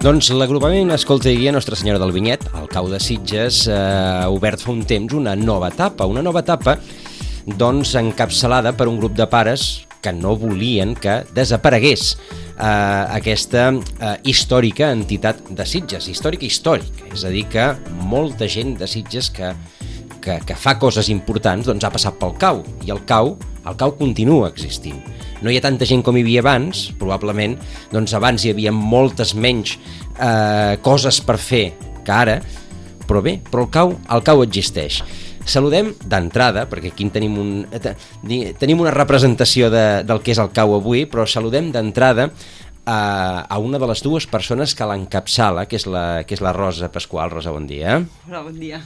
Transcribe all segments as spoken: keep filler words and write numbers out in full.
Doncs l'agrupament Escolta i Guia Nostra Senyora del Vinyet, al Cau de Sitges, eh, ha obert fa un temps una nova etapa, una nova etapa doncs encapçalada per un grup de pares que no volien que desaparegués eh, aquesta eh, històrica entitat de Sitges, històrica històrica, és a dir que molta gent de Sitges que, que, que fa coses importants doncs ha passat pel Cau, i el Cau, el Cau continua existint. No hi ha tanta gent com hi havia abans, probablement, doncs abans hi havia moltes menys eh, coses per fer que ara, però bé, però el Cau, el Cau existeix. Saludem d'entrada, perquè aquí tenim, un, tenim una representació de, del que és el Cau avui, però saludem d'entrada a, a una de les dues persones que l'encapçala, que és la, que és la Rosa Pasqual. Rosa, bon dia. Hola, bon dia.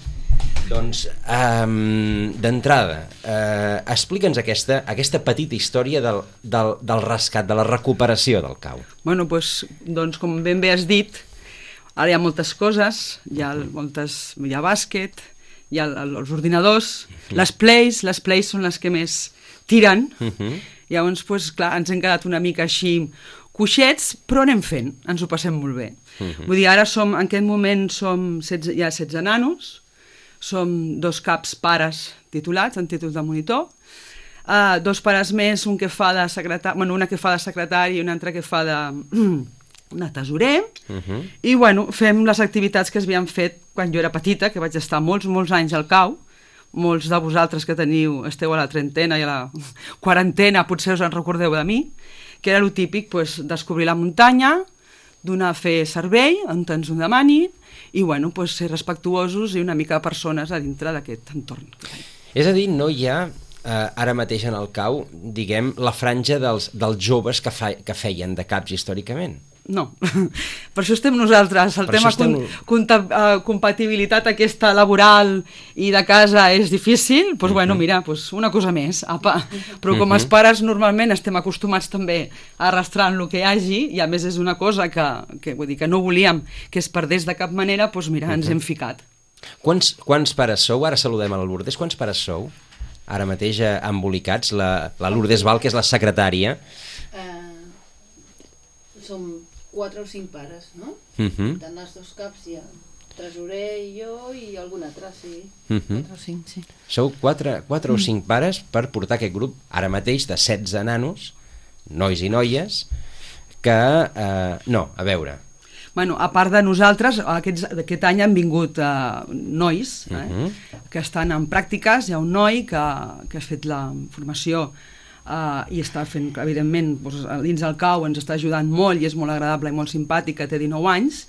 Doncs, um, d'entrada, uh, explica'ns aquesta, aquesta petita història del, del, del rescat, de la recuperació del Cau. Bueno, doncs, doncs, com ben bé has dit, ara hi ha moltes coses, hi ha, moltes, hi ha bàsquet, hi ha els ordinadors, uh-huh. les plays, les plays són les que més tiren, uh-huh. llavors, doncs, clar, ens hem quedat una mica així coixets, però anem fent, ens ho passem molt bé. Uh-huh. Vull dir, ara som, en aquest moment som setze, hi ha setze nanos, som dos caps pares titulats, en títols de monitor, uh, dos pares més, un que fa de secretari, bueno, una que fa de secretari i una altra que fa de, de tesorer, uh-huh. i bueno, fem les activitats que es havien fet quan jo era petita, que vaig estar molts, molts anys al Cau, molts de vosaltres que teniu, esteu a la trentena i a la quarantena, potser us en recordeu de mi, que era el típic, pues, descobrir la muntanya, donar a fer servei, on ens ho demanin, i bueno, pues, ser respectuosos i una mica persones a dintre d'aquest entorn. És a dir, no hi ha eh, ara mateix en el Cau, diguem, la franja dels, dels joves que, fa, que feien de caps històricament. No, per això estem nosaltres. El per tema estem... compta, uh, compatibilitat aquesta laboral i de casa és difícil, doncs uh-huh. bueno, mira, pues una cosa més, apa. Però com uh-huh. els pares normalment estem acostumats també a arrastrar el que hi hagi, i a més és una cosa que, que, vull dir, que no volíem que es perdés de cap manera, doncs mira, uh-huh. ens hem ficat. Quants, quants pares sou? Ara saludem a la Lourdes. Quants pares sou? Ara mateix eh, embolicats, la, la Lourdes Val, que és la secretària. Uh, som quatre o cinc pares, no? Uh-huh. Tant els dos caps hi ha tresorer i jo i algun altre, sí. Uh-huh. Quatre o cinc, sí. Sou quatre, quatre o cinc pares per portar aquest grup, ara mateix, de setze nanos, nois i noies, que... Eh, no, a veure... Bueno, a part de nosaltres, aquests, aquest any han vingut uh, nois eh, uh-huh. que estan en pràctiques. Hi ha un noi que, que ha fet la formació Uh, i està fent, evidentment, doncs, dins del Cau ens està ajudant molt i és molt agradable i molt simpàtic, que té dinou anys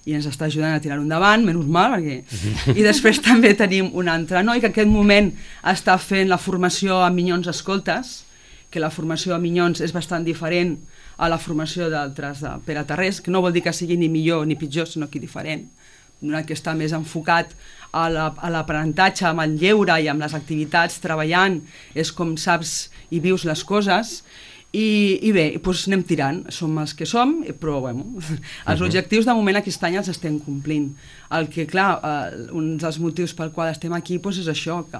i ens està ajudant a tirar-ho endavant, menys mal, perquè... I després també tenim un altre noi que en aquest moment està fent la formació a Minyons Escoltes, que la formació a Minyons és bastant diferent a la formació d'altres de Pere Tarrés, que no vol dir que sigui ni millor ni pitjor, sinó que diferent, que està més enfocat a l'aprenentatge, amb el lleure i amb les activitats, treballant, és com saps i vius les coses, i, i bé, doncs anem tirant, som els que som, però bueno, els uh-huh. objectius de moment aquest any els estem complint. El que, clar, eh, un dels motius pel qual estem aquí doncs és això, que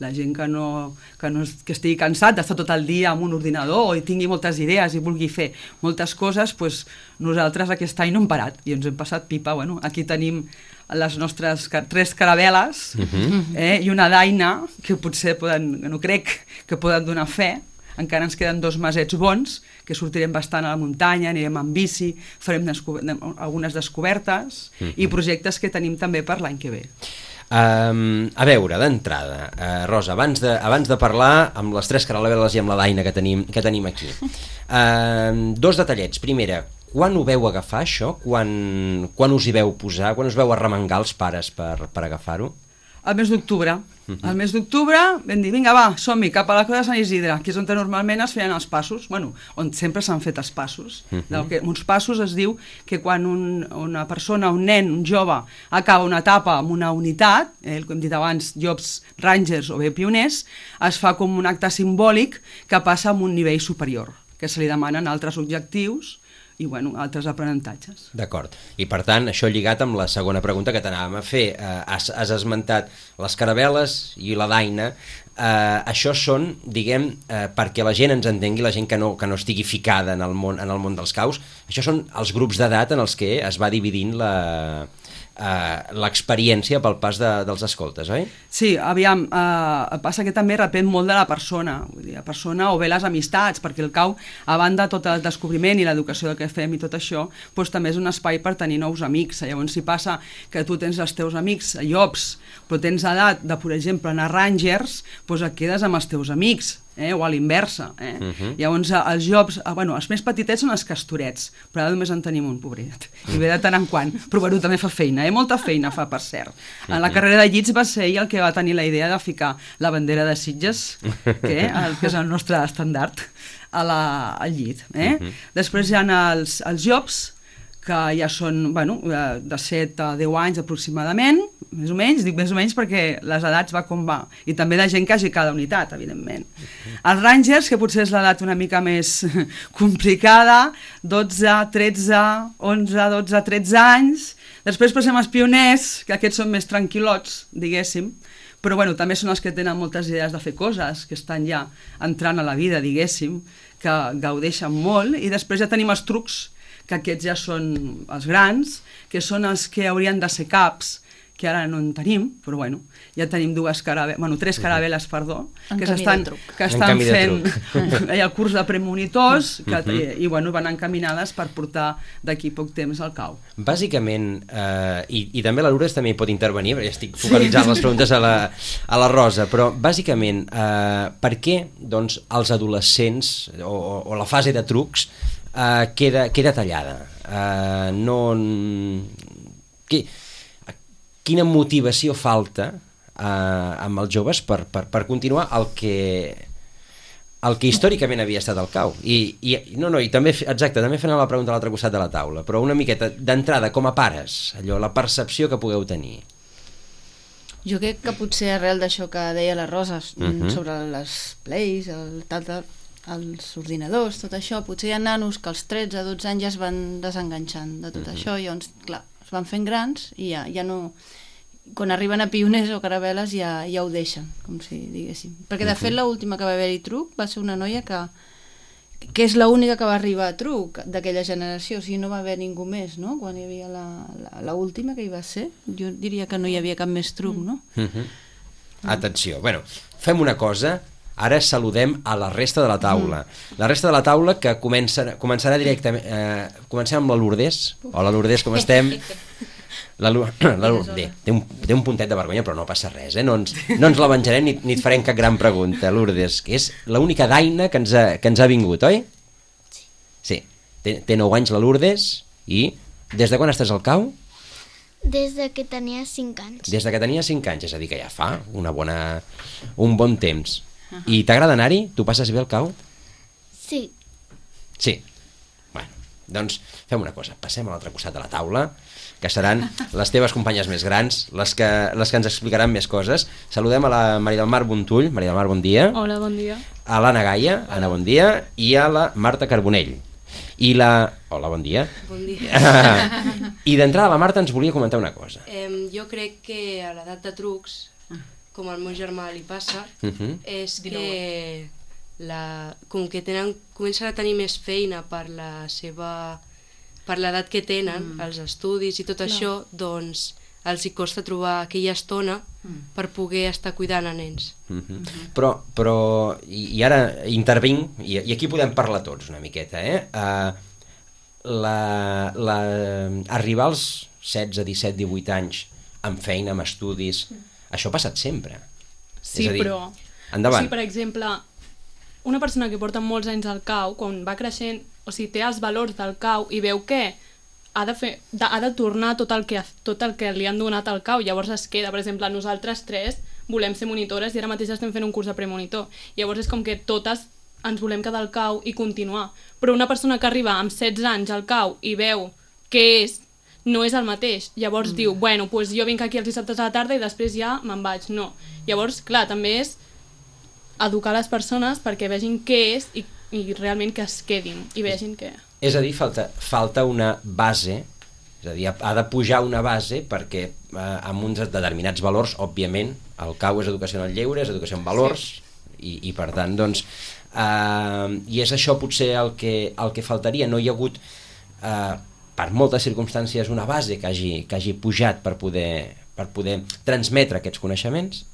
la gent que, no, que, no, que estigui cansat d'estar tot el dia amb un ordinador i tingui moltes idees i vulgui fer moltes coses, doncs nosaltres aquest any no hem parat i ens hem passat pipa. Bueno, aquí tenim les nostres tres caravel·les uh-huh. eh, i una daina que potser poden, no crec que poden donar fe. Encara ens queden dos masets bons, que sortirem bastant a la muntanya, anirem amb bici, farem descober algunes descobertes uh-huh. i projectes que tenim també per l'any que ve. Um, a veure, d'entrada, uh, Rosa, abans de, abans de parlar amb les tres caravel·les i amb la daina que tenim, que tenim aquí, uh, dos detallets. Primera, quan ho veu agafar, això? Quan, quan us hi veu posar? Quan us veu arremangar els pares per, per agafar-ho? Al mes d'octubre. Uh-huh. Al mes d'octubre vam dir, vinga, va, som-hi, cap a la Creu de Sant Isidre, que és on normalment es feien els passos, bueno, on sempre s'han fet els passos. Uh-huh. Del que, uns passos es diu que quan un, una persona, un nen, un jove, acaba una etapa amb una unitat, eh, com hem dit abans, Jobs Rangers o bé pioners, es fa com un acte simbòlic que passa a un nivell superior, que se li demanen altres objectius i bueno, altres aprenentatges. D'acord. I per tant, això lligat amb la segona pregunta que t'anàvem a fer. Eh, has, has esmentat les caravel·les i la daina. Uh, això són, diguem, uh, perquè la gent ens entengui, la gent que no, que no estigui ficada en el món, en el món dels caus, això són els grups d'edat en els que es va dividint la... Uh, l'experiència pel pas de, dels escoltes, oi? Sí, aviam, uh, passa que també depèn molt de la persona, vull dir, la persona o bé les amistats, perquè el cau, a banda tot el descobriment i l'educació que fem i tot això, doncs també és un espai per tenir nous amics. Llavors, si passa que tu tens els teus amics a llops, però tens edat de, per exemple, anar a Rangers, doncs et quedes amb els teus amics, eh? O a l'inversa. Eh? Uh -huh. Llavors, els llops, eh, bueno, els més petitets són els castorets, però ara només en tenim un, pobret, i ve de tant en quant, però bueno, també fa feina, eh? Molta feina fa, per cert. En la carrera de llits va ser ell el que va tenir la idea de ficar la bandera de Sitges, que, el, que és el nostre estandard, a la, al llit. Eh? Uh -huh. Després hi ha els, els llops, que ja són, bueno, de set a deu anys aproximadament, més o menys, dic més o menys perquè les edats va com va, i també de gent que hagi cada unitat, evidentment. Els Rangers, que potser és l'edat una mica més complicada, dotze, tretze, onze, dotze, tretze anys. Després passem als pioners, que aquests són més tranquil·lots, diguéssim, però bueno, també són els que tenen moltes idees de fer coses, que estan ja entrant a la vida, diguéssim, que gaudeixen molt, i després ja tenim els trucs, que aquests ja són els grans, que són els que haurien de ser caps, que ara no en tenim, però bueno, ja tenim dues caravel·les, bueno, tres caravel·les, perdó, en que camí s'estan, de truc. que estan fent truc. el curs de premonitors, que, i, i bueno, van encaminades per portar d'aquí poc temps al cau. Bàsicament, eh, i, i també la Lourdes també hi pot intervenir, perquè estic focalitzant les preguntes a la, a la Rosa, però bàsicament, eh, per què doncs, els adolescents o, o, o la fase de trucs Uh, queda, queda tallada? Uh, no... Qui, quina motivació falta uh, amb els joves per, per, per continuar el que, el que històricament havia estat el cau? I, i, no, no, i també, exacte, també fent la pregunta a l'altre costat de la taula, però una miqueta d'entrada, com a pares, allò, la percepció que pugueu tenir. Jo crec que potser arrel d'això que deia la Rosa, uh-huh, sobre les plays, el tal, tal, els ordinadors, tot això, potser hi ha nanos que als tretze dotze anys ja es van desenganxant de tot uh-huh. això, i llavors, clar, es van fent grans i ja, ja no... Quan arriben a pioners o caravel·les ja, ja ho deixen, com si diguéssim. Perquè de uh-huh. fet l'última que va haver-hi truc va ser una noia que, que és l'única que va arribar a truc d'aquella generació, o sigui, no va haver ningú més, no? Quan hi havia l'última que hi va ser, jo diria que no hi havia cap més truc, no? Uh-huh. Atenció, bueno, fem una cosa. Ara saludem a la resta de la taula. La resta de la taula que comença, començarà directament... Eh, comencem amb la Lourdes. Hola, Lourdes, com estem? La, la Lourdes té un, té un puntet de vergonya, però no passa res, eh? No ens, no ens la venjarem ni, ni et farem cap gran pregunta, Lourdes, que és l'única daina que ens, ha, que ens ha vingut, oi? Sí. Sí. Té, té nou anys la Lourdes i des de quan estàs al cau? Des de que tenia cinc anys. Des de que tenia cinc anys, és a dir, que ja fa una bona, un bon temps. I t'agrada anar-hi? Tu passes bé al cau? Sí. Sí. Bueno, doncs fem una cosa, passem a l'altre costat de la taula, que seran les teves companyes més grans, les que, les que ens explicaran més coses. Saludem a la Maria del Mar Bontull. Maria del Mar, bon dia. Hola, bon dia. A l'Anna Gaia. Anna, bon dia. I a la Marta Carbonell. I la... Hola, bon dia. Bon dia. I d'entrada la Marta ens volia comentar una cosa. Eh, jo crec que a l'edat de trucs, com al meu germà li passa, Uh-huh. és que la, com que tenen, comencen a tenir més feina per la seva per l'edat que tenen, mm. els estudis i tot Clar. Això, doncs els hi costa trobar aquella estona mm. per poder estar cuidant a nens. Uh-huh. Uh-huh. Però, però i, i ara intervinc, i, i aquí podem parlar tots una miqueta, eh? Uh, la, la, arribar als setze, disset, divuit anys amb feina, amb estudis, mm. això ha passat sempre. Sí, dir, però... Endavant. O sigui, per exemple, una persona que porta molts anys al cau, quan va creixent, o sigui, té els valors del cau i veu que ha de, fer, de, ha de tornar tot el, que, tot el que li han donat al cau, llavors es queda. Per exemple, nosaltres tres volem ser monitores i ara mateix estem fent un curs de premonitor. Llavors és com que totes ens volem quedar al cau i continuar. Però una persona que arriba amb setze anys al cau i veu què és, no és el mateix. Llavors mm. diu, bueno, pues jo vinc aquí els dissabtes a la tarda i després ja me'n vaig. No. Llavors, clar, també és educar les persones perquè vegin què és i, i realment que es quedin i vegin què... És a dir, falta, falta una base És a dir, ha de pujar una base perquè eh, amb uns determinats valors, òbviament, el C A U és educació en el lleure, és educació en valors, sí. i, i per tant, doncs, eh, i és això potser el que, el que faltaria. No hi ha hagut, eh, per moltes circumstàncies, una base que hagi, que hagi pujat per poder, per poder transmetre aquests coneixements.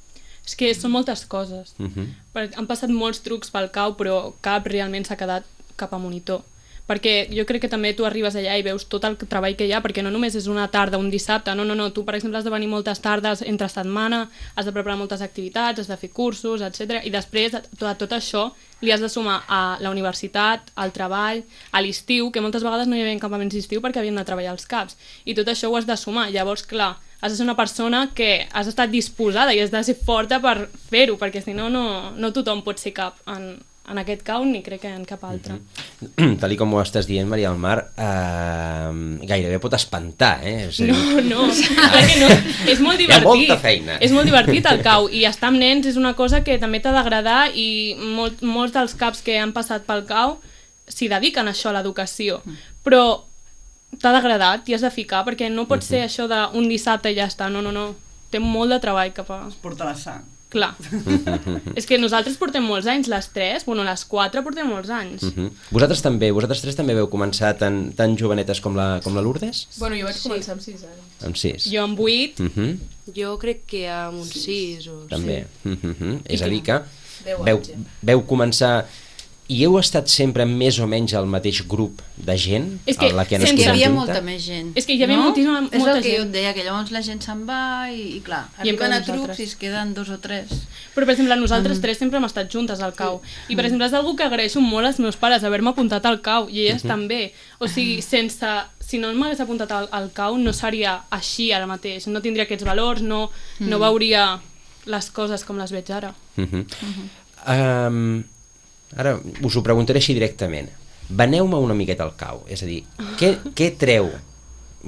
És que són moltes coses. Uh-huh. Han passat molts trucs pel C A U, però cap realment s'ha quedat cap a monitor. Perquè jo crec que també tu arribes allà i veus tot el treball que hi ha, perquè no només és una tarda, un dissabte, no, no, no, tu per exemple has de venir moltes tardes entre setmana, has de preparar moltes activitats, has de fer cursos, etcètera. I després de tot això li has de sumar a la universitat, al treball, a l'estiu, que moltes vegades no hi havia campaments d'estiu perquè havien de treballar als caps, i tot això ho has de sumar. Llavors, clar, has de ser una persona que has estat disposada i has de ser forta per fer-ho, perquè si no, no, no tothom pot ser cap en, en aquest C A U ni crec que en cap altre. Mm-hmm. Tal com ho estàs dient, Maria del Mar, eh, gairebé pot espantar, eh? És a dir... No, no, clar que no. És molt divertit. Hi ha molta feina. És molt divertit el C A U, i estar amb nens és una cosa que també t'ha d'agradar, i molt, molts dels caps que han passat pel C A U s'hi dediquen a això, a l'educació. Però t'ha d'agradar, t'hi has de ficar, perquè no pot ser això d'un dissabte i ja està. No, no, no. Té molt de treball cap a... Porta la sang. Clar. És que nosaltres portem molts anys, les tres, bueno, les quatre portem molts anys. Uh-huh. Vosaltres també, vosaltres tres també veu començar tan, tan jovenetes com la, com la Lourdes? Bueno, jo vaig Sí. començar amb sis anys. Amb sis. Jo amb vuit. Uh-huh. Jo crec que amb uns sis o... També. Sí. Uh-huh. És a dir que Deu veu, anys, ja. veu començar... I heu estat sempre més o menys al mateix grup de gent? És que a la que han sense- Hi escoltat havia junta? molta més gent. És que hi havia no? moltíssima- És molta el que gent. jo et deia, que llavors la gent se'n va i, i clar, I arriben a encara trucs nosaltres. i es queden dos o tres. Però, per exemple, nosaltres tres sempre hem estat juntes al C A U. I, per exemple, és algo que agraeixo molt als meus pares, haver-me apuntat al C A U, i elles també. O sigui, sense... Si no m'hagués apuntat al, al C A U, no seria així ara mateix. No tindria aquests valors, no, no veuria les coses com les veig ara. Uh-huh. Uh-huh. Um, ara us ho preguntaré així directament. Veneu-me una miqueta al C A U. És a dir, què, què treu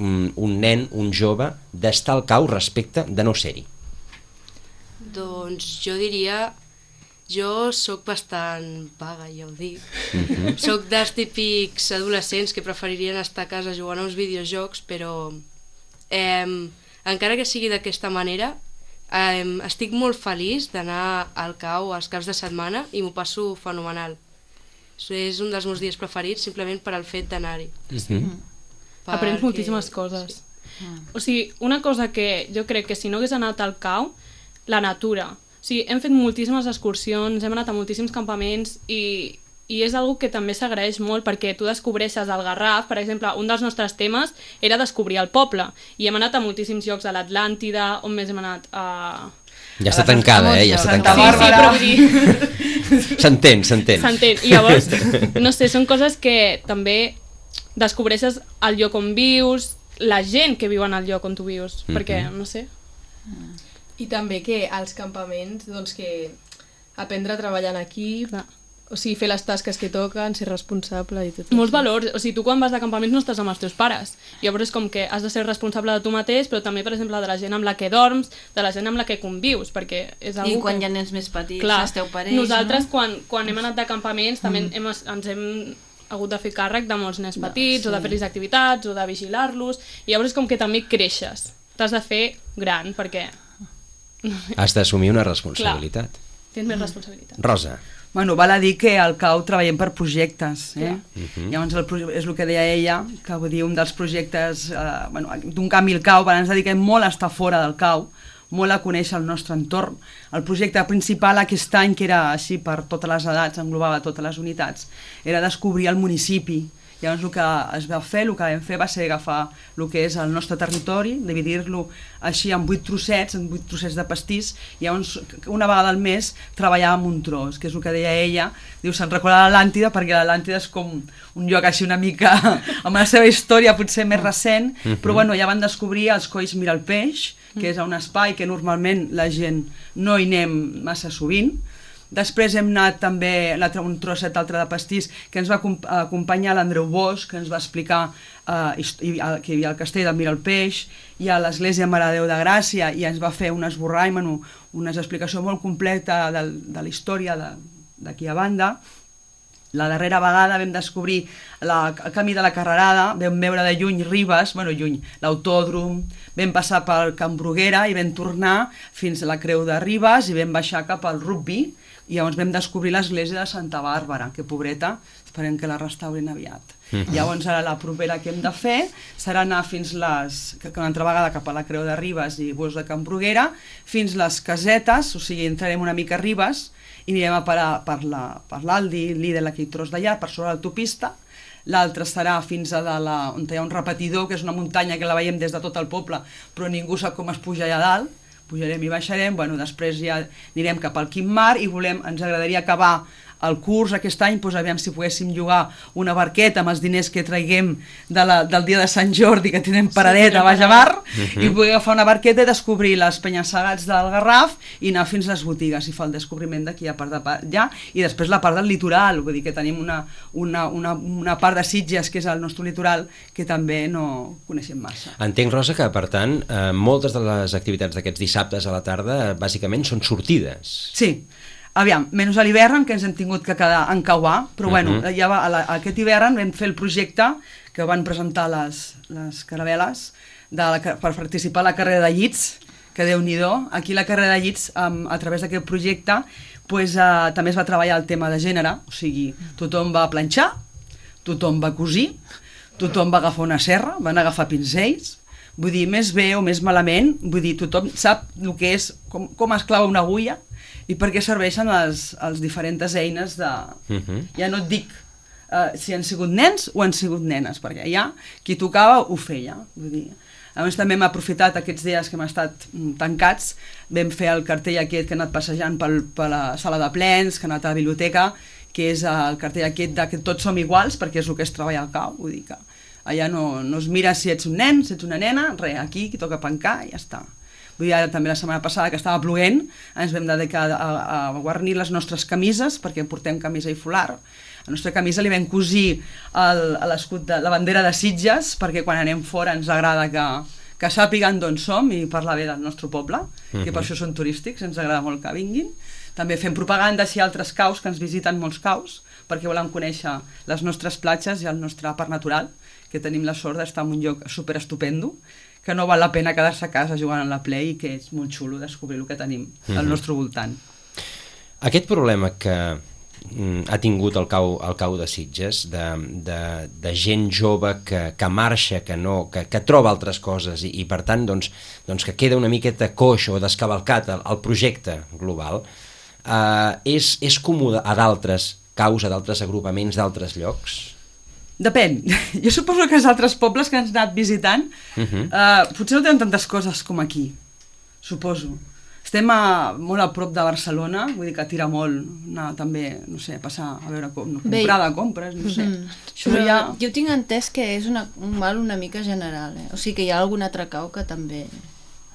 un, un nen, un jove, d'estar al C A U respecte de no ser-hi? Doncs jo diria... Jo sóc bastant vaga, ja ho dic. Uh-huh. Soc dels típics adolescents que preferirien estar a casa jugant a uns videojocs, però eh, encara que sigui d'aquesta manera, eh, estic molt feliç d'anar al C A U als caps de setmana i m'ho passo fenomenal. És un dels meus dies preferits simplement per al fet d'anar-hi. Uh-huh. Perquè- Aprens moltíssimes coses. O sigui, una cosa que jo crec que si no hagués anat al C A U, la natura. O sigui, hem fet moltíssimes excursions, hem anat a moltíssims campaments i, i és algo que també s'agraeix molt perquè tu descobreixes el Garraf, per exemple, un dels nostres temes era descobrir el poble i hem anat a moltíssims llocs, a l'Atlàntida, on més hem anat a... Ja està tancada, eh? Ja està Santa tancada. Sí, sí, però vull dir... S'entén, s'entén. S'entén. I llavors, no sé, són coses que també descobreixes el lloc on vius, la gent que viu en el lloc on tu vius, Mhm. perquè, no sé... I també que als campaments, doncs que aprendre a treballar en equip, Clar. o sigui, fer les tasques que toquen, ser responsable i tot Molts això. valors, o sigui, tu quan vas de campaments no estàs amb els teus pares, llavors és com que has de ser responsable de tu mateix, però també, per exemple, de la gent amb la que dorms, de la gent amb la que convius, perquè és I algo quan que... hi ha nens més petits, Clar, esteu parells, nosaltres no? quan, quan hem anat de campaments també hem, ens hem hagut de fer càrrec de molts nens petits, o de fer-los activitats, o de vigilar-los, i llavors és com que també creixes, t'has de fer gran, perquè Has d'assumir una responsabilitat. tens més responsabilitat. Rosa. Bueno, val a dir que al C A U treballem per projectes, eh? Mhm. Llavors el, proje- és el que deia ella, que vull dir, un dels projectes eh, bueno, d'un canvi al C A U, ens dediquem molt a estar fora del C A U, molt a conèixer el nostre entorn. El projecte principal aquest any, que era així per totes les edats, englobava totes les unitats, era descobrir el municipi. Llavors el que es va fer, el que vam fer va ser agafar el que és el nostre territori, dividir-lo així en vuit trossets, en vuit trossets de pastís, i llavors una vegada al mes treballàvem un tros, que és el que deia ella, diu, se'n recorda l'Atlàntida, perquè l'Atlàntida és com un lloc així una mica, amb la seva història potser més recent, però bueno, ja van descobrir els Colls Mira el Peix, que és un espai que normalment la gent no hi anem massa sovint. Després hem anat també l'altre, un trosset altre de pastís que ens va acom- acompanyar l'Andreu Bosch, que ens va explicar eh, hist- i- eh, que hi havia el castell del Mira el Peix i a l'església Mare de Déu de Gràcia, i ens va fer un esborrany, bueno, una explicació molt completa de, de la història de- d'aquí a banda. La darrera vegada vam descobrir la, el camí de la Carrerada, vam veure de lluny Ribes, bueno, lluny, l'autòdrom, vam passar per Can Bruguera i vam tornar fins a la Creu de Ribes i vam baixar cap al Rugby i llavors vam descobrir l'església de Santa Bàrbara, que pobreta, esperem que la restaurin aviat. Mm-hmm. Llavors ara la propera que hem de fer serà anar fins les, que una altra vegada cap a la Creu de Ribes i Bosc de Can Bruguera, fins les Casetes, o sigui, entrarem una mica a Ribes i anirem a parar per la, per l'Aldi, Lidl, aquell tros d'allà, per sobre l'autopista. L'altre serà fins a dalt, on hi ha un repetidor, que és una muntanya que la veiem des de tot el poble, però ningú sap com es puja allà dalt. Pujarem i baixarem, bueno, després ja anirem cap al Quim-Mar i volem, ens agradaria acabar el curs aquest any, doncs aviam si poguéssim llogar una barqueta amb els diners que traiguem de la, del dia de Sant Jordi, que tenen paradeta sí, a baix a mar, uh-huh. i poder agafar una barqueta i descobrir les penya-segats del Garraf i anar fins a les botigues i fer el descobriment d'aquí a part de allà, i després la part del litoral, vull dir que tenim una, una, una, una part de Sitges, que és el nostre litoral, que també no coneixem massa. Entenc, Rosa, que per tant eh, moltes de les activitats d'aquests dissabtes a la tarda bàsicament són sortides. Sí. Aviam, menys a l'hivern, que ens hem tingut que quedar en Cauà, però uh-huh. bueno, ja va, a la, aquest hivern vam fer el projecte que van presentar les, les caravel·les de la, per participar a la carrera de llits, que Déu-n'hi-do. Aquí la carrera de llits, um, a través d'aquest projecte, pues, uh, també es va treballar el tema de gènere, o sigui, tothom va planxar, tothom va cosir, tothom va agafar una serra, van agafar pinzells, vull dir, més bé o més malament, vull dir, tothom sap el que és, com, com es clava una agulla, i per què serveixen les, les diferents eines de... Uh-huh. Ja no et dic uh, si han sigut nens o han sigut nenes, perquè ja qui tocava ho feia. Vull dir. A més, també hem aprofitat aquests dies que hem estat tancats, vam fer el cartell aquest que ha anat passejant pel, per la sala de plens, que ha anat a la biblioteca, que és el cartell aquest de que tots som iguals, perquè és el que es treballa al cau, vull dir que allà no, no es mira si ets un nen, si ets una nena, res, aquí qui toca pencar i ja està. Vull dir, ara també la setmana passada que estava ploent ens vam dedicar a, a guarnir les nostres camises, perquè portem camisa i folar. A la nostra camisa li vam cosir el, l'escut de la bandera de Sitges, perquè quan anem fora ens agrada que, que sàpiguen d'on som i parlar bé del nostre poble, uh-huh. que per això són turístics, ens agrada molt que vinguin. També fem propaganda si hi ha altres caus, que ens visiten molts caus, perquè volen conèixer les nostres platges i el nostre parc natural, que tenim la sort d'estar en un lloc superestupendo, que no val la pena quedar-se a casa jugant a la Play i que és molt xulo descobrir el que tenim al uh-huh. nostre voltant. Aquest problema que mm, ha tingut el cau, el cau de Sitges, de, de, de gent jove que, que marxa, que, no, que, que troba altres coses i, i per tant doncs, doncs que queda una miqueta coix o descavalcat el, el projecte global, eh, és, és comú a d'altres caus, a d'altres agrupaments, d'altres llocs? Depèn. Jo suposo que els altres pobles que ens han anat visitant uh-huh. uh, potser no tenen tantes coses com aquí, suposo. Estem a, molt a prop de Barcelona, vull dir que tira molt anar també, no sé, passar a veure com, no, comprar de compres, no sé. Mm-hmm. Però ja... jo tinc entès que és una, un mal una mica general, eh? O sigui que hi ha algun altre cau que també...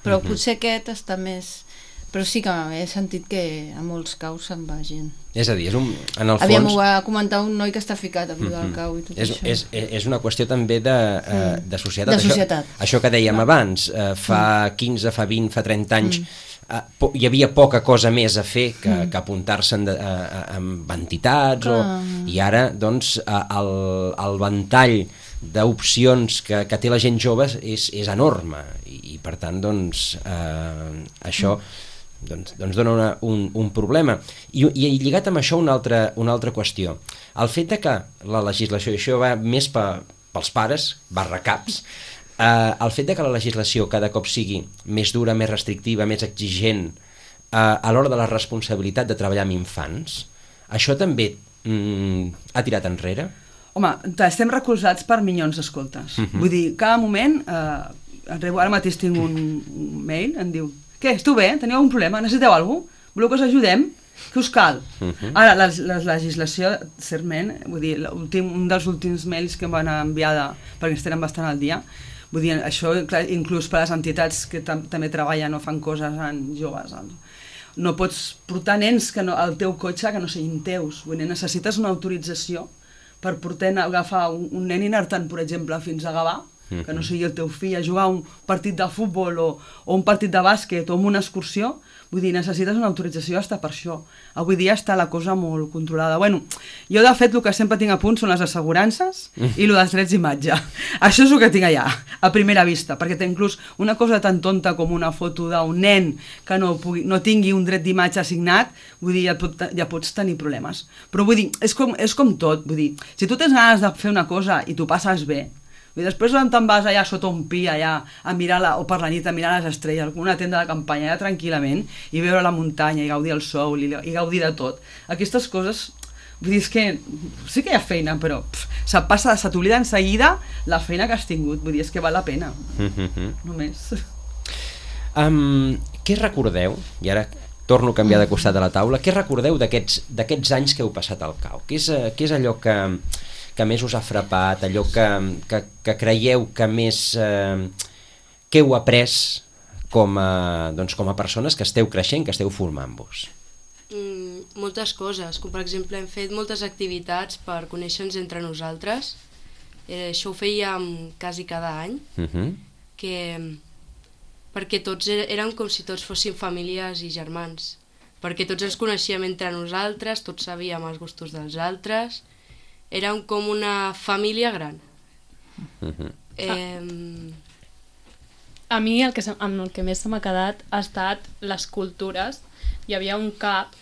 Però mm-hmm. potser aquest està més... Però sí que he sentit que a molts caus se'n va gent. És a dir, és un, en el Aviam, fons... ho va comentar un noi que està ficat a viure mm-hmm. al cau i tot és, això. És, és una qüestió també de, mm. de societat. De societat. Això, això que dèiem abans, eh, fa mm. quinze, fa vint, fa trenta anys, mm. eh, po, hi havia poca cosa més a fer que, mm. que apuntar-se en, a, a, amb entitats, o, i ara, doncs, a, el, el ventall d'opcions que, que té la gent jove és, és enorme, i, i per tant, doncs, eh, això... Mm. Doncs, doncs dona una, un, un problema. I, i lligat amb això una altra, una altra qüestió. El fet de que la legislació, i això va més pe, pels pares, barra caps, eh, el fet de que la legislació cada cop sigui més dura, més restrictiva, més exigent eh, a l'hora de la responsabilitat de treballar amb infants, això també mm, ha tirat enrere? Home, estem recolzats per milions d'escoltes. Uh-huh. Vull dir, cada moment, eh, ara mateix tinc un, un mail, em diu: què, esteu bé? Teniu algun problema? Necessiteu alguna cosa? Voleu que us ajudem? Què us cal? Uh-huh. Ara, la, la legislació, certament, vull dir, un dels últims mails que em van enviar, de, perquè estem bastant al dia, vull dir, això clar, inclús per les entitats que tam també treballen o fan coses en joves. No pots portar nens que no, al teu cotxe que no siguin teus. Vull dir, necessites una autorització per portar, agafar un, un nen i anar-te'n, per exemple, fins a Gavà, mm-hmm. que no sigui el teu fill a jugar un partit de futbol o, o un partit de bàsquet o una excursió, vull dir, necessites una autorització hasta per això. Avui dia està la cosa molt controlada. Bueno, jo de fet el que sempre tinc a punt són les assegurances i el dels drets d'imatge. Això és el que tinc allà, a primera vista, perquè té inclús una cosa tan tonta com una foto d'un nen que no, pugui, no tingui un dret d'imatge assignat, vull dir, ja, pot, ja pots tenir problemes. Però vull dir, és com, és com tot, vull dir, si tu tens ganes de fer una cosa i t'ho passes bé, i després te'n vas allà sota un pi allà a mirar la, o per la nit a mirar les estrelles, una tenda de campanya allà tranquil·lament i veure la muntanya i gaudir el sol i, i gaudir de tot. Aquestes coses, vull dir, és que sí que hi ha feina, però pff, se passa, se t'oblida en seguida la feina que has tingut, vull dir, és que val la pena. Mm-hmm. Només. Um, què recordeu, i ara torno a canviar de costat de la taula, què recordeu d'aquests d'aquests anys que heu passat al C A U? Què és, què és allò que... que més us ha frapat, allò que, que, que creieu que més eh, que heu après com a, doncs, com a persones que esteu creixent, que esteu formant-vos? Mm, moltes coses, com per exemple hem fet moltes activitats per conèixer-nos entre nosaltres. Eh, això ho fèiem quasi cada any, uh-huh. que, perquè tots érem com si tots fóssim famílies i germans, perquè tots ens coneixíem entre nosaltres, tots sabíem els gustos dels altres. Érem com una família gran. Uh-huh. eh... A mi el que, amb el que més se m'ha quedat ha estat les cultures. Hi havia un cap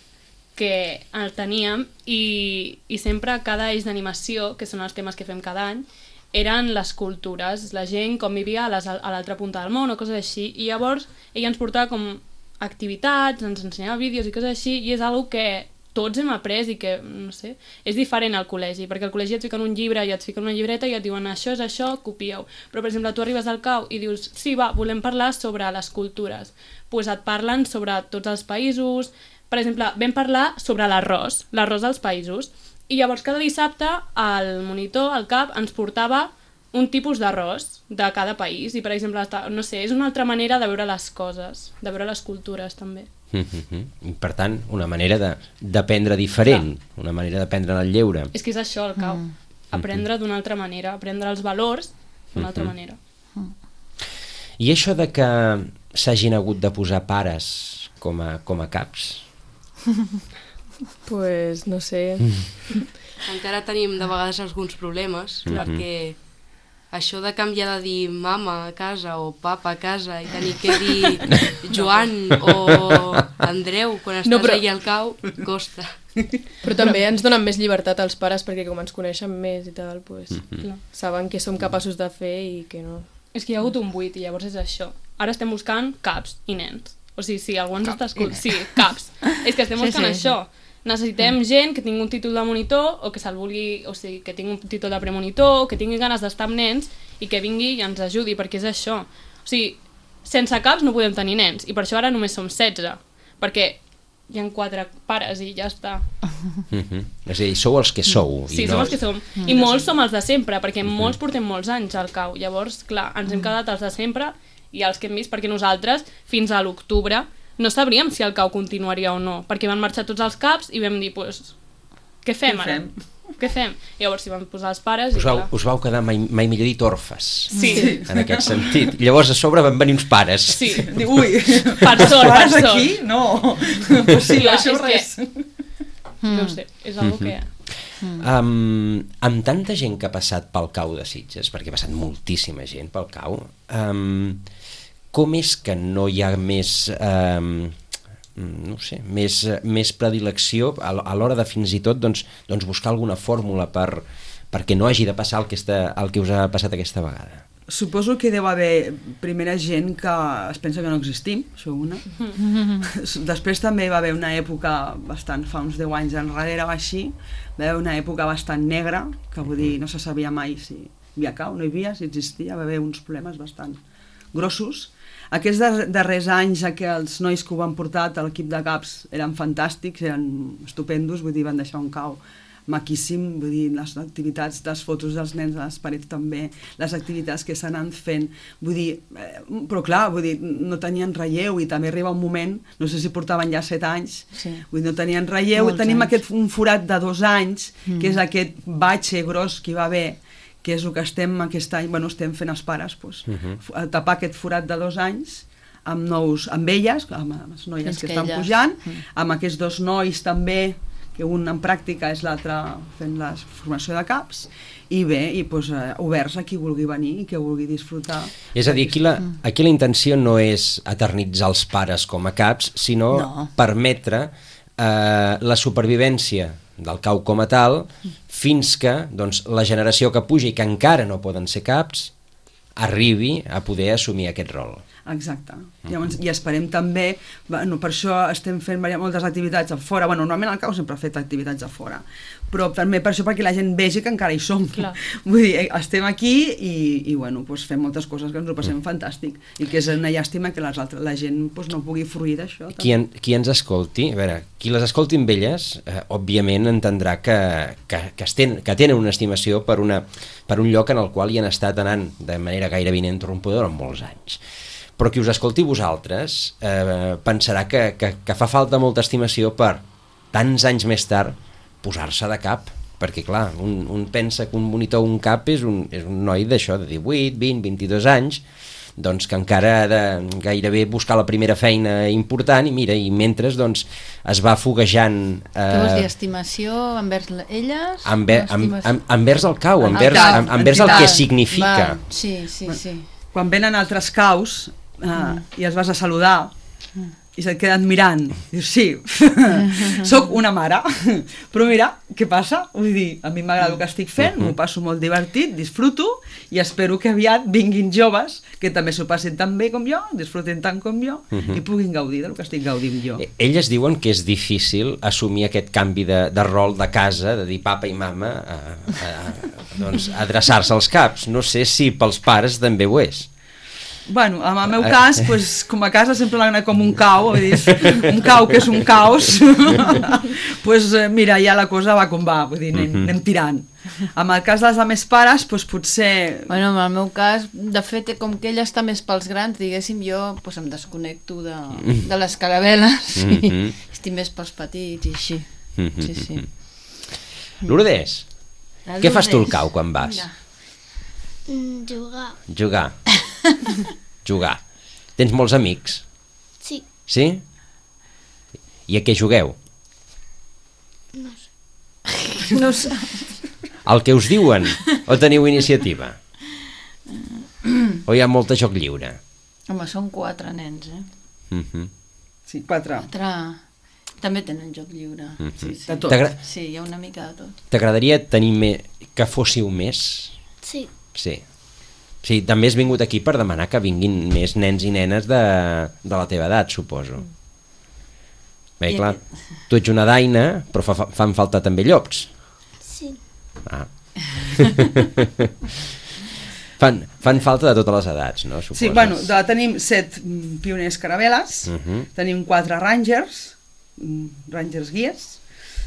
que el teníem i, i sempre cada eix d'animació, que són els temes que fem cada any, eren les cultures, la gent com vivia a l'altra punta del món o coses així, i llavors ella ens portava com activitats, ens ensenyava vídeos i coses així, i és una que tots hem après i que, no sé, és diferent al col·legi, perquè al col·legi et fiquen un llibre i et fiquen una llibreta i et diuen això és això, copieu. Però, per exemple, tu arribes al C A U i dius sí, va, volem parlar sobre les cultures. Doncs pues et parlen sobre tots els països. Per exemple, vam parlar sobre l'arròs, l'arròs dels països. I llavors cada dissabte el monitor, el cap, ens portava un tipus d'arròs de cada país. I, per exemple, no sé, és una altra manera de veure les coses, de veure les cultures, també. Mm-hmm. Per tant, una manera d'aprendre diferent, clar. Una manera d'aprendre en el lleure. És que és això el C A U, mm. aprendre d'una altra manera, aprendre els valors d'una altra mm-hmm. manera. Mm. I això de que s'hagin hagut de posar pares com a, com a caps? Pues no sé. Mm. Encara tenim de vegades alguns problemes, mm-hmm. perquè això de canviar de dir mama a casa o papa a casa i tenir que dir Joan o Andreu quan estàs no, però... allà al C A U, costa. Però també ens donen més llibertat als pares perquè com ens coneixen més i tal, pues, mm-hmm. saben què som capaços de fer i què no. És que hi ha hagut un buit i llavors és això. Ara estem buscant caps i nens. O sigui, si algú ens està escoltant... Sí, caps. És que estem buscant sí, sí, això. Sí. Necessitem gent que tingui un títol de monitor o que se'l vulgui, o sigui, que tingui un títol de premonitor o que tingui ganes d'estar amb nens i que vingui i ens ajudi, perquè és això. O sigui, sense caps no podem tenir nens i per això ara només som setze, perquè hi ha quatre pares i ja està. Mm-hmm. És a dir, sou els que sou. Sí, i som no... els que som. Mm-hmm. I molts som els de sempre, perquè mm-hmm. molts portem molts anys al C A U. Llavors, clar, ens hem quedat els de sempre i els que hem vist, perquè nosaltres, fins a l'octubre, no sabríem si el C A U continuaria o no, perquè van marxar tots els caps i vam dir, pues, què fem ara? Què fem? Què fem? I llavors s'hi van posar els pares i us vau, clar. Us vau quedar mai, mai millor dit orfes, sí. en aquest sentit. I llavors a sobre van venir uns pares. Sí. Ui, per sort, per sort. Aquí? No. Pues sí, clar, això res. Que... No ho sé, és una cosa mm-hmm. que... Um, amb tanta gent que ha passat pel C A U de Sitges, perquè ha passat moltíssima gent pel C A U, um, com és que no hi ha més... Um, no sé, més, més predilecció a l'hora de fins i tot doncs, doncs buscar alguna fórmula per, perquè no hagi de passar el que, està, el que us ha passat aquesta vegada? Suposo que deu haver primera gent que es pensa que no existim, això una. Després també va haver una època bastant, fa uns deu anys enrere o així, va haver una època bastant negra, que vull dir, no se sabia mai si hi havia C A U, no hi havia, si existia, va haver uns problemes bastant grossos. Aquests darrers anys que els nois que ho van portar a l'equip de caps eren fantàstics, eren estupendos, vull dir, van deixar un C A U maquíssim, vull dir, les activitats, les fotos dels nens a les parets també, les activitats que s'han fent, vull dir, eh, però clar, vull dir, no tenien relleu i també arriba un moment, no sé si portaven ja set anys, sí. Vull dir, no tenien relleu, molts tenim anys. Aquest un forat de dos anys, mm. que és aquest batxe gros que hi va haver, que és el que estem aquest any, bueno, estem fent els pares, doncs, Uh -huh. tapar aquest forat de dos anys amb nous, amb elles, amb les noies Fins que, que estan elles... pujant, Mm. amb aquests dos nois també, que un en pràctica és l'altre fent la formació de caps, i bé, i doncs, eh, oberts a qui vulgui venir i que vulgui disfrutar. És a dir, aquí la, aquí la intenció no és eternitzar els pares com a caps, sinó No. permetre eh, la supervivència del cau com a tal fins que doncs, la generació que puja i que encara no poden ser caps arribi a poder assumir aquest rol. Exacte. Llavors, i esperem també, bueno, per això estem fent moltes activitats a fora, bueno, normalment al cau sempre ha fet activitats a fora, però també per això perquè la gent vegi que encara hi som. Clar. Vull dir, estem aquí i, i bueno, doncs fem moltes coses que ens ho passem fantàstic, i que és una llàstima que les altres, la gent doncs, no pugui fruir d'això. Qui, en, qui ens escolti, a veure, qui les escolti amb elles, eh, òbviament entendrà que, que, que, esten, que tenen una estimació per, una, per un lloc en el qual hi han estat anant de manera gairebé ininterrompuda durant molts anys. Però qui us escolti vosaltres eh, pensarà que, que, que fa falta molta estimació per, tants anys més tard, posar-se de cap, perquè clar, un, un pensa que un monitor un cap és un, és un noi d'això, de divuit, vint, vint-i-dos anys, doncs que encara ha de gairebé buscar la primera feina important, i mira, i mentre doncs, es va foguejant... Eh, Què vols dir, estimació envers elles? Enver, amb, Estimació- amb, envers el cau, El envers, cau, amb, envers el que entitat. significa. Va, sí, sí, sí. Quan venen altres caus eh, mm. i els vas a saludar i se't queden mirant, dius, sí, sóc una mare, però mira, què passa? Vull dir, a mi m'agrada el que estic fent, m'ho passo molt divertit, disfruto, i espero que aviat vinguin joves que també s'ho passin tan bé com jo, disfruten tant com jo, i puguin gaudir del que estic gaudint jo. Eh, Elles diuen que és difícil assumir aquest canvi de, de rol de casa, de dir papa i mama, a, a, a, doncs, adreçar-se als caps. No sé si pels pares també ho és. Bueno, en el meu cas, pues, com a casa sempre l'han anat com un cau, vull dir, un cau que és un caos, pues, mira, ja la cosa va com va, vull dir, anem, anem tirant. En el cas de les altres pares, pues, potser... Bueno, en el meu cas, de fet, com que ella està més pels grans, diguéssim, jo pues, em desconnecto de, de les caravel·les i Mhm. estic més pels petits i així. Sí, sí. Lourdes, La què fas tu al Lourdes. cau quan vas? Mira. Mm, jugar. Jugar. Jugar. Tens molts amics? Sí, Sí? I a què jugueu? no sé. No sé. El que us diuen? O teniu iniciativa? O hi ha molta joc lliure? Home, són quatre nens, eh? Mhm. Sí, quatre. Quatre... També tenen joc lliure. Sí, sí. De tot. T'agra- Sí, hi ha una mica de tot. T'agradaria tenir me... que fóssiu més? Sí, Sí. Sí, també has vingut aquí per demanar que vinguin més nens i nenes de, de la teva edat, suposo. Bé, I clar, aquest- tu ets una daina, però fa, fa, fan falta també llops. sí. Ah. fan, fan falta de totes les edats, no? Suposes. Sí, bueno, de, tenim set mm, pioners caravel·les, Mhm. tenim quatre rangers, mm, rangers guies,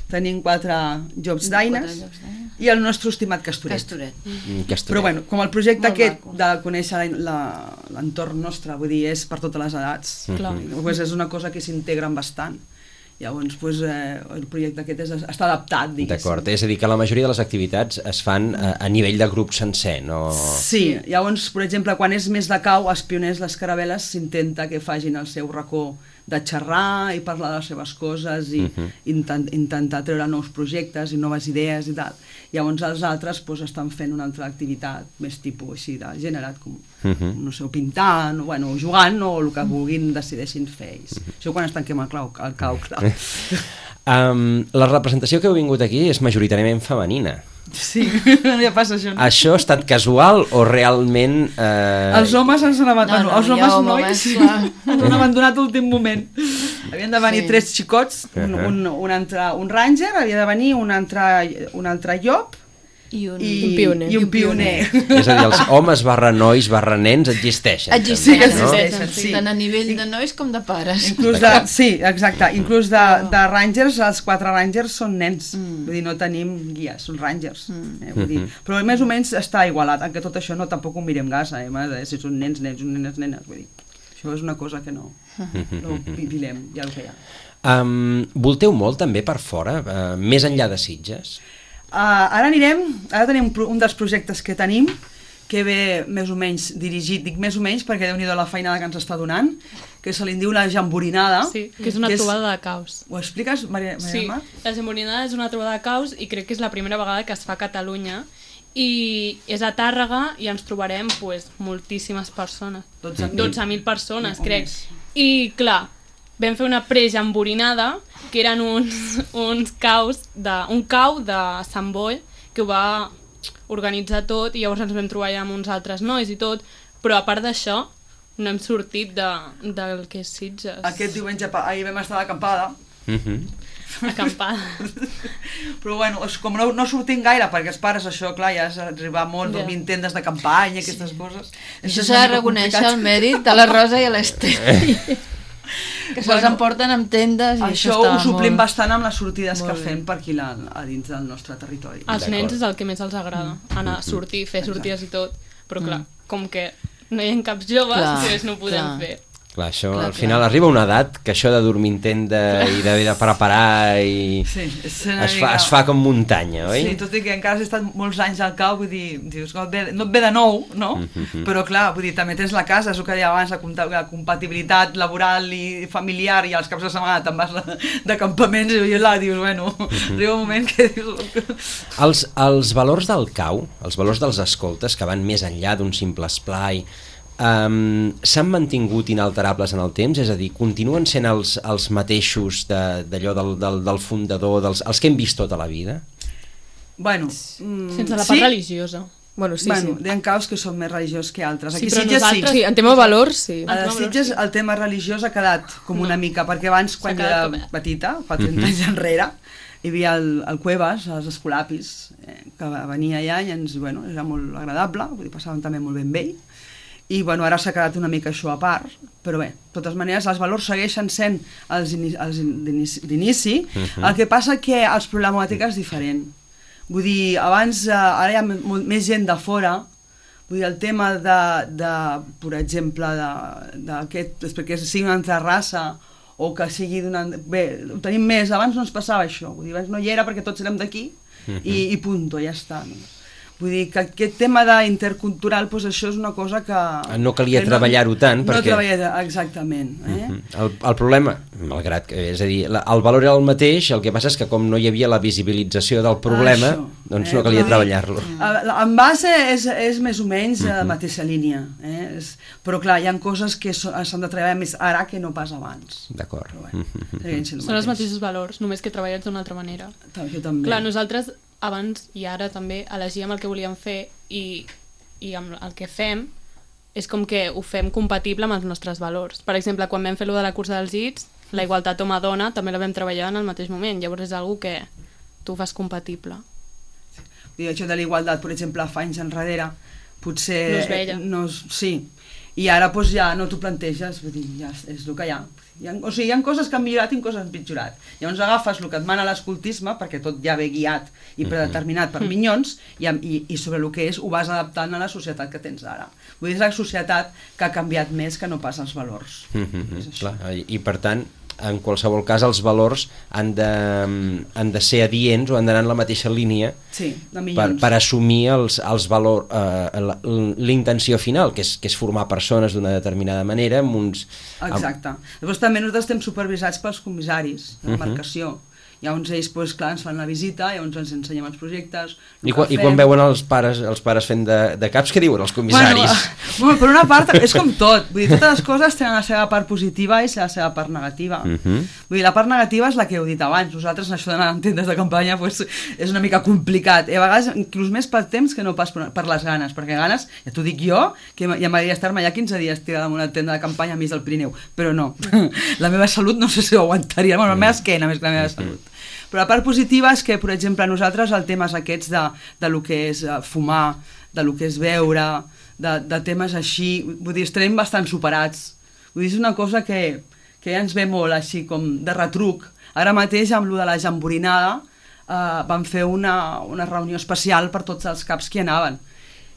tenim quatre jobs daines Quatre llocs daines. i el nostre estimat Castoret. Castoret. Mm, que Però bueno, com el projecte Molt aquest maco. de conèixer la- la- l'entorn nostre, vull dir, és per totes les edats, Clar. pues és una cosa que s'integren bastant. Llavors, pues, eh, el projecte aquest és, està adaptat, diguéssim. D'acord, és a dir, que la majoria de les activitats es fan a, a nivell de grup sencer, no... Sí, llavors, per exemple, quan és més de cau, els pioners, les caravel·les, s'intenta que facin el seu racó de xerrar i parlar de les seves coses i Mhm. intent, intentar treure nous projectes i noves idees i tal. Llavors els altres pues, estan fent una altra activitat més tipus així de generat, com, Mhm. no sé, o pintant, o, bueno, jugant o el que vulguin decideixin fer ells. Això quan es tanquem el, clau, el cau, clar. Um, la representació que heu vingut aquí és majoritàriament femenina. Sí, ja passa això. No? Això ha estat casual o realment... Eh... Els homes ens han abandonat, No, no, els hi ha homes homes, nois clar. ens han abandonat a l'últim moment. Havien de venir Sí. tres xicots, un, Uh-huh. un, un, altre, un ranger, havia de venir un altre, un altre llop I un... i Un pioner. I un pioner. És a dir, els homes barra nois barra nens existeixen. Existeixen, Sí que també, no? existeixen. sí. sí. Tant a nivell de nois com de pares. Inclús de, sí, exacte, inclús de, de rangers, els quatre rangers són nens, Mm. vull dir, no tenim guies, són rangers, Mm. eh, vull dir, però més o menys està igualat, en que tot això no tampoc ho mirem gaire, eh, de si són nens, nens, nenes, nenes, vull dir, això és una cosa que no, no ho pilem, ja el que hi ha. Um, volteu molt també per fora, uh, més enllà de Sitges? Uh, ara anirem, ara tenim un dels projectes que tenim, que ve més o menys dirigit, dic més o menys perquè Déu-n'hi-do la feinada que ens està donant, que se li diu la jamborinada. Sí, que és una que trobada de caus. Ho expliques, Maria, Maria Sí, Mar? la jamborinada és una trobada de caus i crec que és la primera vegada que es fa a Catalunya i és a Tàrrega i ens trobarem pues, moltíssimes persones. dotze mil persones, O crec. més. I clar, vam fer una prejamborinada que eren uns, uns caus de, un cau de Sant Boi que ho va organitzar tot i llavors ens vam trobar ja amb uns altres nois i tot, però a part d'això no hem sortit de, del que és Sitges. Aquest diumenge, pa- ahir vam estar d'acampada, Acampada. però bueno, és com no, no sortim gaire, perquè els pares això, clar, ja és arribar molt, Ja. dormir en tendes de campanya, aquestes coses. Això és s'ha una de mica reconèixer complicat. el mèrit de la Rosa i a l'Ester. Que se'ls Bueno, emporten amb tendes i això, Això està ho suplim molt... bastant amb les sortides molt que bé. fem per aquí la, a dins del nostre territori. Als D'acord. nens és el que més els agrada, anar a sortir, fer sortides i tot, però clar, com que no hi ha caps joves, Clar, doncs no ho podem clar. fer. Clar, això Clar, al clar. final arriba una edat que això de dormir en tenda i d'haver de preparar i... Sí, és una es, fa, mica- es fa com muntanya, oi? Sí, tot i que encara has estat molts anys al cau, vull dir, dius, no et ve, no et ve de nou, no? Però clar, vull dir, també tens la casa, és el que deia abans, la, compa- la compatibilitat laboral i familiar, i als caps de setmana te'n vas de- d'acampaments i allà dius, bueno, arriba un moment que dius... Els, els valors del cau, els valors dels escoltes, que van més enllà d'un simple esplai, um, s'han mantingut inalterables en el temps? És a dir, continuen sent els, els mateixos de- d'allò del, del, del fundador, dels, els que hem vist tota la vida? Bueno, mm, Sense la part sí, religiosa. Bueno, sí, bueno, sí. hi ha caus que són més religiosos que altres. Sí, Aquí però Sitges nosaltres- Sí, en tema de valors, sí. A les Sitges el tema religiós ha quedat com una mica, perquè abans, quan S'ha jo quedat era com- petita, fa trenta anys enrere, hi havia el, el Cuevas, els escolapis, eh, que va- venia allà i ens, bueno, era molt agradable, vull dir, passàvem també molt bé amb ell, i bueno, ara s'ha quedat una mica això a part, però bé, de totes maneres els valors segueixen sent els, ini els in- d'inici, d'inici, el que passa que els problemàtica és diferent. Vull dir, abans, eh, ara hi ha molt, més gent de fora, vull dir, el tema de, de per exemple, de, d'aquest, perquè sigui una altra raça, o que sigui d'una... Bé, ho tenim més, abans no ens passava això, vull dir, abans no hi era perquè tots érem d'aquí, i, i punto, ja està. No? Vull dir que aquest tema d'intercultural, doncs això és una cosa que... No calia que treballar-ho tant, no perquè- treballar, exactament. Eh? El, el problema, malgrat que, és a dir, la, el valor era el mateix, el que passa és que com no hi havia la visibilització del problema, Això, doncs eh, no calia vull dir, treballar-lo. Eh, En base és, és més o menys a la mateixa línia, eh? és, però clar, hi ha coses que so- s'han de treballar més ara que no pas abans. D'acord. Però bueno, segueix sent el Són els mateix. mateixos valors, només que treballats d'una altra manera. Jo també. Clar, nosaltres abans i ara també elegíem el que volíem fer i, i amb el que fem és com que ho fem compatible amb els nostres valors. Per exemple, quan vam fer lo de la cursa dels I T S, la igualtat home-dona també la vam treballar en el mateix moment, llavors és algo que tu fas compatible. Vull dir, això de la igualtat, per exemple, fa anys enrere, potser... No es veia. No, es- sí, i ara doncs, ja no t'ho planteges, vull dir, ja és, és el que hi ha. Hi ha. O sigui, hi ha coses que han millorat i coses que han pitjorat. Llavors agafes el que et mana l'escoltisme, perquè tot ja ve guiat i predeterminat per minyons, i, amb- i, i sobre el que és ho vas adaptant a la societat que tens ara. Vull dir, és la societat que ha canviat més que no pas els valors. Mhm, És això. clar, i, i per tant, en qualsevol cas, els valors han de, han de ser adients o han d'anar en la mateixa línia Sí, de per, minyons. per assumir els, els valors, eh, la- l'intenció final, que és, que és formar persones d'una determinada manera amb uns... amb- Exacte. Llavors també nosaltres estem supervisats pels comissaris de la marcació. Llavors ells, doncs, clar, ens fan la visita, llavors ens ensenyem els projectes... el I, quan, que I quan fem. veuen els pares, els pares fent de, de caps, què diuen els comissaris? Bueno, bueno, per una part, és com tot. Vull dir, totes les coses tenen la seva part positiva i la seva part negativa. Mhm. Vull dir, la part negativa és la que heu dit abans. Nosaltres, en això d'anar en tendes de campanya, pues, és una mica complicat. I a vegades, inclús més pel temps que no pas per, per les ganes. Perquè ganes, ja t'ho dic jo, que ja m'agradaria estar-me allà quinze dies tirada en una tenda de campanya a mig del Pirineu. Però no. La meva salut no sé si ho aguantaria. Bueno, la meva esquena més que la meva salut. Però la part positiva és que, per exemple, nosaltres el temes aquests de, de lo que és uh, fumar, de lo que és beure, de, de temes així, vull dir, estarem bastant superats. Vull dir, és una cosa que, que ja ens ve molt així com de retruc. Ara mateix, amb lo de la jamborinada, uh, vam fer una, una reunió especial per tots els caps que hi anaven.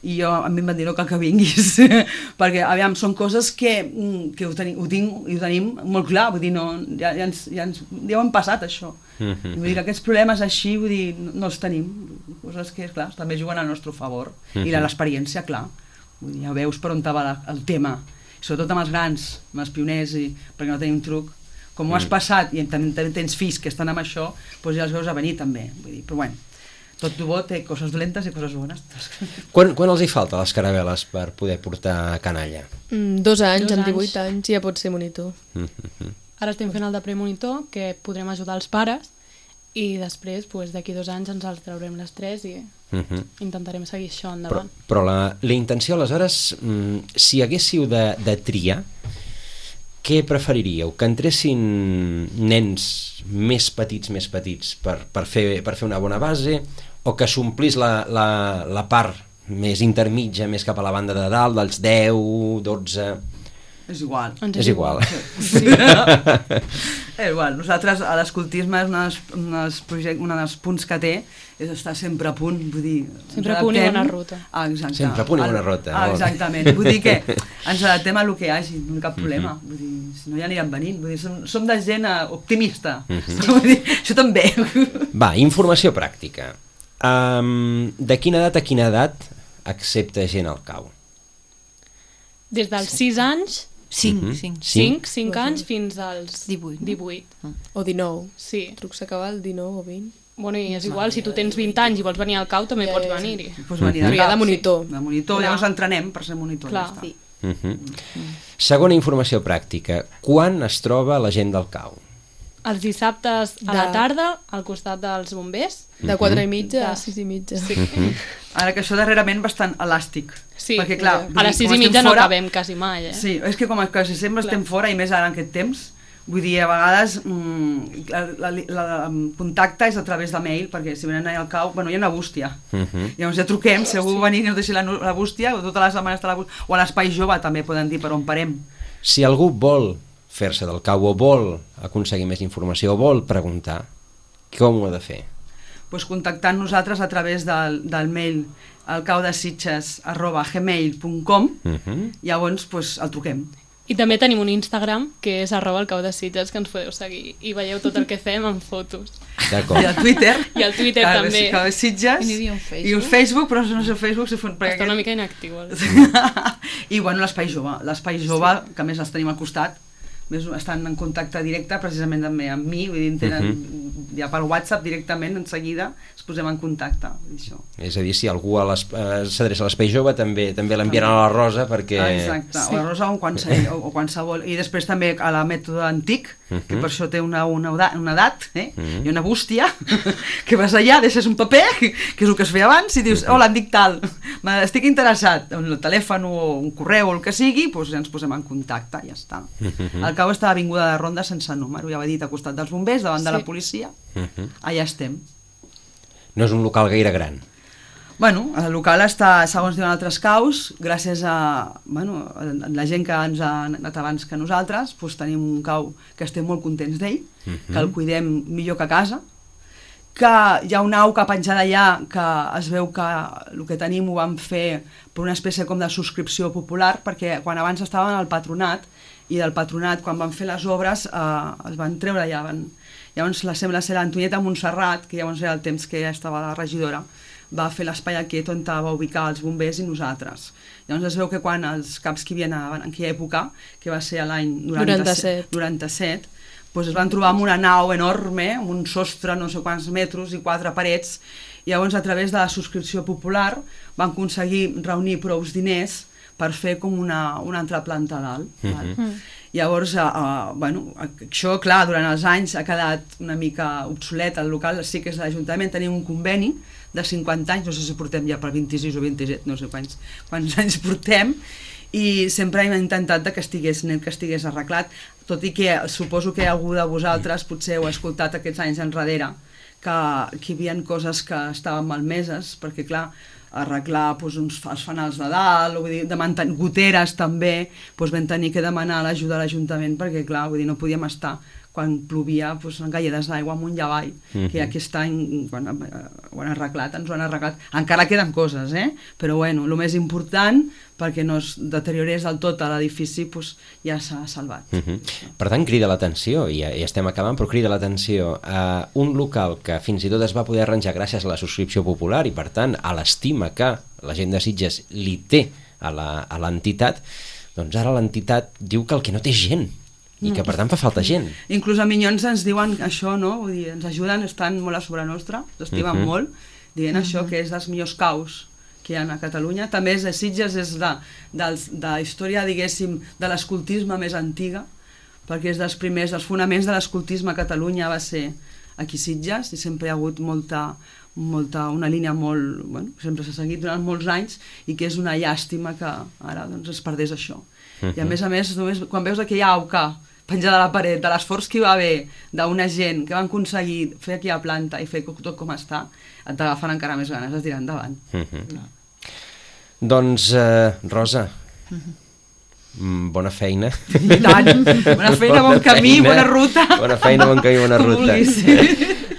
i jo, a mi em van dir no cal que vinguis perquè aviam, són coses que, que ho, tenim, ho, tinc, ho tenim molt clar, vull dir, no, ja, ja, ens, ja, ens, ja ho hem passat això, mm-hmm. vull dir que aquests problemes així, vull dir, no, no els tenim, coses que, clar, també juguen al nostre favor, mm-hmm. i l'experiència, clar, vull dir, ja veus per on va la, el tema, sobretot amb els grans, amb els pioners, i, perquè no tenim truc, com ho has passat i també, també tens fills que estan amb això, doncs ja els veus a venir també, vull dir, però bueno, tot bo té coses dolentes i coses bones. Quan, quan els hi falta les caravel·les per poder portar canalla? Mm, dos anys, Dos amb anys. divuit anys, ja pot ser monitor. Mm-hmm. Ara estem fent el de premonitor, que podrem ajudar els pares, i després, pues, d'aquí dos anys, ens els traurem les tres i Mm-hmm. intentarem seguir això Però, endavant. però la, la intenció, aleshores, mm, si haguéssiu de, de triar, què preferiríeu? Que entressin nens més petits, més petits, per, per, fer, per fer una bona base, o que s'omplís la, la, la part més intermitja, més cap a la banda de dalt, dels deu, dotze... És igual. Ens És igual. Sí. És igual. Nosaltres, a l'escoltisme, és un dels, un, dels project, un dels punts que té, és estar sempre a punt, vull dir... Sempre a punt i bona ruta. Ah, exacte. Sempre a punt i bona ruta. Ah, Molt bé. exactament. Vull dir que ens adaptem a el que hi hagi, no hi ha cap problema. Mm-hmm. Vull dir, si no ja aniran venint. Vull dir, som, som de gent eh, optimista. Mm-hmm. Vull dir, això també. Va, informació pràctica. Um, de quina edat a quina edat accepta gent al cau? Des dels sis anys, Cinc, Mhm. cinc. cinc, cinc anys, fins als Divuit, no? divuit. O dinou. Sí. El truc s'acaba el dinou o vint. Bueno, i és igual, si tu tens vint anys i vols venir al cau, també Ja, pots ja, sí. venir-hi. Pues venir Però hi ha cap, de monitor. Sí. De monitor, Clar. llavors entrenem per ser monitor. Clar. Ja està. Sí. Uh-huh. Segona informació pràctica. Quan es troba la gent del cau? Els dissabtes a De- la tarda, al costat dels bombers. De quatre i mitja a De- sis i mitja. Sí. Ara que això darrerament bastant elàstic. Sí, perquè, clar, vull a dir, les sis com i estem mitja no fora- acabem quasi mai, eh? Sí, és que com que si sempre estem fora, i més ara en aquest temps, vull dir, a vegades mm, la, la, la, el contacte és a través de mail, perquè si venen allà al cau, bueno, hi ha una bústia. Uh-huh. Llavors ja truquem, si algú venir i ens deixi la, la bústia, o tota la setmana està la bústia, o a l'Espai Jove també poden dir per on parem. Si algú vol fer-se del cau o vol aconseguir més informació o vol preguntar, com ho ha de fer? Pues contactant nosaltres a través del, del mail alcaudesitges arroba gmail punt com, Uh-huh. llavors pues, el truquem. I també tenim un Instagram, que és arroba el cau de Sitges, que ens podeu seguir i veieu tot el que fem en fotos. D'acord. I al Twitter. I al Twitter Cada també. vegada Cada Sitges. I n'hi havia un Facebook. I un Facebook, però no sé el Facebook si fon... Està una mica inactiu. El... I bueno, l'Espai Jove. L'Espai Jove, sí. que a més els tenim al costat, més estan en contacte directe precisament també amb mi, vull dir, tenen, uh-huh. ja per WhatsApp directament, en seguida ens posem en contacte. Vull dir, això. És a dir, si algú a les- eh, s'adreça a l'Espai Jove també també l'enviaran a la Rosa perquè... Ah, exacte, sí. o la Rosa o qualsevol, o, o qualsevol. I després també a la mètode antic, uh-huh. que per això té una, una, edat, una edat eh? uh-huh. i una bústia, que vas allà, deixes un paper, que és el que es feia abans, i dius, hola, em dic tal, estic interessat, en el telèfon o un correu o el que sigui, doncs ja ens posem en contacte, ja està. Uh-huh. El cau està a Avinguda de Ronda sense número, ja ho he dit, al costat dels bombers, davant sí. de la policia, Uh-huh. allà estem. No és un local gaire gran. Bueno, el local està, segons diuen altres caus, gràcies a, bueno, a la gent que ens ha anat abans que nosaltres, doncs tenim un cau que estem molt contents d'ell, uh-huh. que el cuidem millor que a casa, que hi ha una au que ha penjat allà que es veu que el que tenim ho vam fer per una espècie com de subscripció popular, perquè quan abans estaven al patronat, i del patronat, quan van fer les obres, eh, es van treure allà. Van... Llavors, la, sembla ser l'Antonieta Montserrat, que llavors era el temps que ja estava la regidora, va fer l'espai aquest on va ubicar els bombers i nosaltres. Llavors es veu que quan els caps que hi havia en aquella època, que va ser a l'any noranta-set, noranta-set, doncs es van trobar amb una nau enorme, amb un sostre, no sé quants metres i quatre parets, i llavors a través de la subscripció popular van aconseguir reunir prou diners per fer com una, una altra planta a dalt. Uh-huh. Val? Llavors, uh, uh, bueno, això, clar, durant els anys ha quedat una mica obsolet el local, sí que és de l'Ajuntament, tenim un conveni de cinquanta anys, no sé si portem ja per vint-i-sis o vint-i-set, no sé quants, quants anys portem, i sempre hem intentat que estigués net, que estigués arreglat, tot i que suposo que algú de vosaltres potser heu escoltat aquests anys enrere, que, que hi havia coses que estaven malmeses, perquè clar, arreglar doncs, uns, els fanals de dalt, vull dir, de mantenir goteres també, doncs vam tenir que demanar l'ajuda a l'Ajuntament perquè clar, vull dir, no podíem estar quan plovia, doncs, galledes d'aigua amunt i avall, uh-huh. que aquest any bueno, ho han arreglat, ens ho han arreglat. Encara queden coses, eh? Però bueno, el més important, perquè no es deteriorés del tot l'edifici, doncs, ja s'ha salvat. Uh-huh. Per tant, crida l'atenció, i ja, ja estem acabant, però crida l'atenció a un local que fins i tot es va poder arranjar gràcies a la subscripció popular i, per tant, a l'estima que la gent de Sitges li té a l'entitat, doncs ara l'entitat diu que el que no té gent, i que per tant fa falta gent. Inclús a Minyons ens diuen això, no? Vull dir, ens ajuden, estan molt a sobre nostra, s'estimen uh-huh. molt, dient uh-huh. això, que és dels millors caus que hi ha a Catalunya. També és de Sitges, és de, de, de la història, diguéssim, de l'escoltisme més antiga, perquè és dels primers, dels fonaments de l'escoltisme a Catalunya va ser aquí a Sitges, i sempre hi ha hagut molta, molta, una línia molt, bueno, sempre s'ha seguit durant molts anys, i que és una llàstima que ara doncs, es perdés això. Uh-huh. I a més a més, només, quan veus aquella auca penjada a la paret, de l'esforç que hi va haver d'una gent que van aconseguir fer aquí a planta i fer tot com està, et t'agafen encara més ganes de tirar endavant. Uh-huh. No. Doncs, eh, Rosa, uh-huh. bona feina. I tant, bona feina, bon camí, feina, bona ruta. Bona feina, bon camí, bona ruta.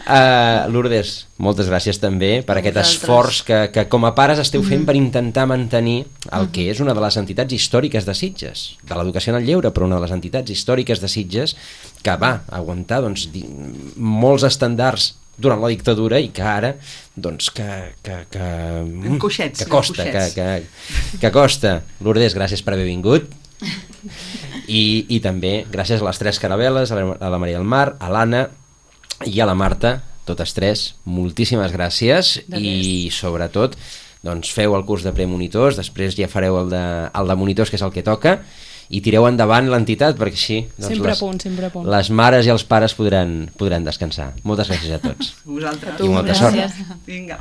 Uh, Lourdes, moltes gràcies també per aquest esforç que, que com a pares esteu fent per intentar mantenir el que és una de les entitats històriques de Sitges, de l'educació en el lleure, però una de les entitats històriques de Sitges que va aguantar doncs, di, molts estandards durant la dictadura i que ara doncs que, que, que, coixets, que costa que, que, que costa. Lourdes, gràcies per haver vingut i, i també gràcies a les tres caravel·les, a la, a la Maria del Mar, a l'Anna i a la Marta, totes tres, moltíssimes gràcies i sobretot doncs, feu el curs de premonitors, després ja fareu el de, el de monitors, que és el que toca, i tireu endavant l'entitat perquè així doncs, sempre les, a punt, sempre a punt. Les mares i els pares podran, podran descansar. Moltes gràcies a tots. Vosaltres. I molta gràcies. sort. Vinga.